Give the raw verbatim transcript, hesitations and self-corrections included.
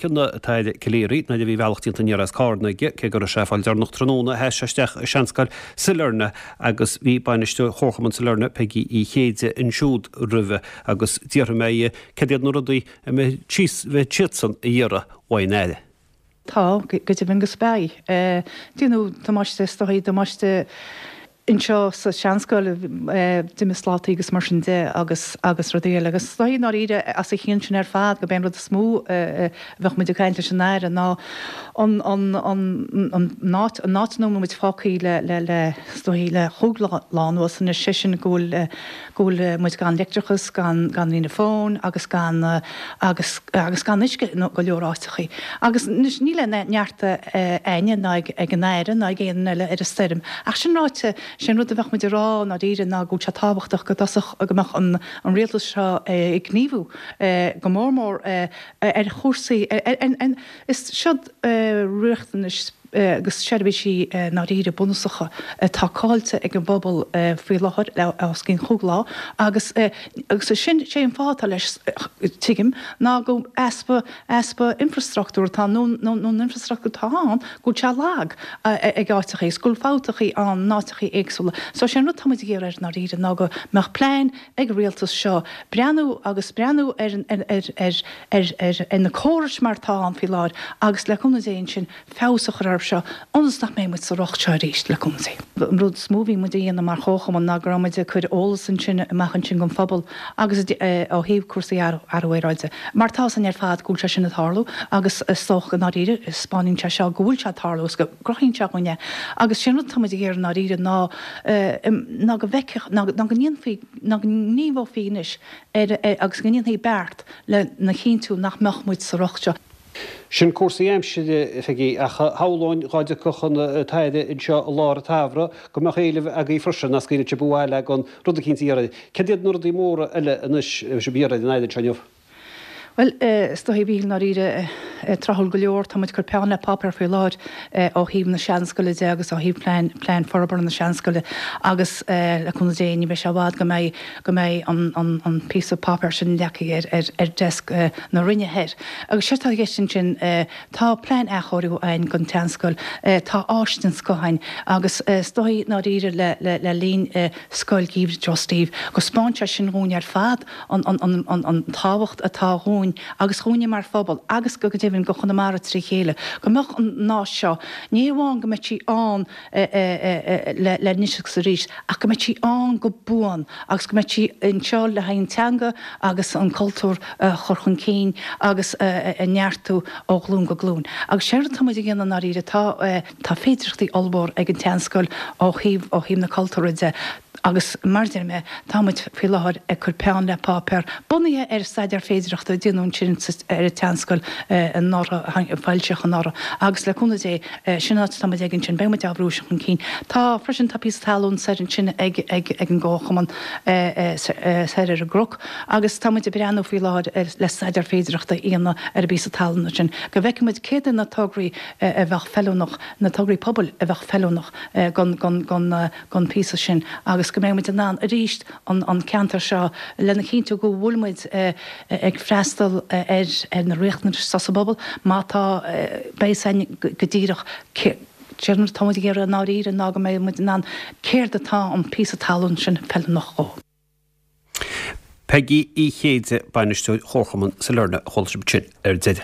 mh'fheic an tAire Calleary nuair a bhí a bhealach déanta aniar as Carna aige, cé go raibh sé ag fáil deireanach tráthnóna, sheas sé isteach i Seanscoil Sailearna agus bhí bainisteoir Chomharchumann Sailearna, Peigí Uí Chéide, ansiúd roimhe agus d'fhiafraigh mé dhi cad iad na rudaí a mbeidh siadsan a iarraidh uaidh an Aire. Tá, go deimhin agus beidh. Déanadh damáiste, is dóigh, damáiste anseo sa seanscoil, d'imigh slátaí agus mar sin de agus agus rudaí eile. Agus is dóigh i ndáiríre as a chionn sin ar fad gurb é an rud is mó a bheadh muid ag caint leis an Aire ná an an an an áit an áit ina bhfuil muid fágtha le le le is dóigh le chúig lá anuas anois, sé sin go bhfuil go bhfuil muid gan leictreachas, gan gan líne fóin agus gan agus agus gan uisce i go leor áiteachaí. Agus anois níl aon neart a'inne ná ag ag an Aire ná ag aon eile ar an stoirm. Ach sin ráite, sé an rud a bheadh muid a rá i ndáiríre ná go bhfuil sé tábhachtach go dtosódh go mbeadh an an rialtas seo ag gníomhú go mór mór ar chúrsaí ar ar is siod riachtanais agus seirbhísí i ndáiríre bunúsacha atá caillte ag an bpobal faoi láthair le os cionn chúig lá agus agus sin sé an fáth atá leis tuigim ná go easpa easpa infrastruchtúr atá nó nó nó an infrastruchtúr atá ann go bhfuil sé lag ag áiteachaí is go bhfuil fabhtachaí ann in áiteachaí éagsúla. So sé an rud atá muid ag iarraidh air i ndáiríre ná go mbeadh plean ag an rialtas seo breathnú agus breathnú ar ar ar ar ar ar ar na córais mar atá ann faoi láthair agus le cúnamh Dé ansin feabhas a chur orthu seo ionas nach mbeidh muid sa riocht seo arís, le cúnamh Dé. An rud is mó a bhí muid a dhéanamh mar chomharchumann ná go raibh muid ag cur eolas ansin amach ansin don phobal agus ó thaobh cúrsaí athrú aeráide. Mar tá 'fhios a'inn ar fad go bhfuil sé sin ag tarlú agus is dócha go ndáiríre 'spáineann sé seo go bhfuil sé ag tarlú agus go gcruthaíonn sé dhúinn é. Agus sé an rud atá muid ag iarraidh i ndáiríre ná ná go bhfeicfeadh, ná go ndéanfaí, ná go ngníomhófaí anois ar agus go ndéanfaí beart lena chinntiú nach mbeadh muid sa riocht seo. Sin cúrsaí aimsire, a Pheigí, ach shamhlóinn dhá dtiocfadh an tAire anseo i lár an tsamhraidh go mbeadh éilimh agaibh freisin nach scaoilfeadh sibh abhaile gan rud eicínt a iarraidh. Cad iad na rudaí móra eile anois a bheidh sibh a iarraidh ar an Aire anseo inniu? Bhuel, is dóigh, a Mhíchíl, i ndáiríre, tráthúil go leor, tá muid ag cur peann le páipéar faoi láthair ó thaobh na seanscoile de agus ó thaobh plean, plean forbartha na seanscoile agus le cúnamh Dé ní bheidh sé i bhfad go mbeidh, go mbeidh an, an, an píosa páipéir sin leagtha ar, ar, ar desk na Roinne thoir. Agus séard atá i gceist ansin, tá plean athchóiriú againn don tseanscoil, tá áis den scoth againn agus is dóigh i ndáiríre le, le, le linn Scoil Gheimhridh Joe Steve go 'spáin sé sin dhúinn ar fad an, an, an, an, an tábhacht atá dhúinn agus dhúinne mar phobal agus go deimhin go Chonamara trí chéile, go mbeadh an áis seo, ní hamháin go mbeadh sí ann le le anois agus arís ach go mbeadh sí ann go buan agus go mbeadh sí anseo le haghaidh an teanga agus an cultúr a chur chun cinn agus a neartú ó ghlúin go glúin. Agus séard atá muid a dhéanamh i ndáiríre, tá tá féidearthachtaí ollmhór ag an tseanscoil ó thaobh ó thaobh na cultúrtha de agus mar a deir mé, tá muid faoi láthair ag cur peann le páipéar, bunaithe ar staidéar féidearthachta a déanadh ansin ar an tseanscoil anuraidh, a foilsíodh anuraidh, agus le cúnamh Dé, sin an áit atá muid ag ansin, beidh muid á bhrú sin chun cinn. Tá, freisin, tá píosa talún soir ansin ag ag ag an gComharchumann soir ar an gcnoc agus tá muid ag breathnú faoi láthair le staidéar féidearthachta a dhéanamh ar an bpíosa talún ansin, go bhfeicfidh muid céard é na tograí a bheadh feiliúnach, na tograí pobail a bheadh feiliúnach don don don don phíosa sin agus go mbeidh muid in ann arís an an ceantar seo lena chinntiú go bhfuil muid ag freastal ar ar na riachtanais atá sa bpobal má tá beidh a fhios againn go díreach cé céard atá muid ag iarraidh i ndáiríre ná go mbeidh muid in ann céard atá an píosa talún sin feiliúnach dhó. Peigí Uí Chéide, Bainisteoir Chomharchumann Sailearna a chuala sibh ansin ar deireadh.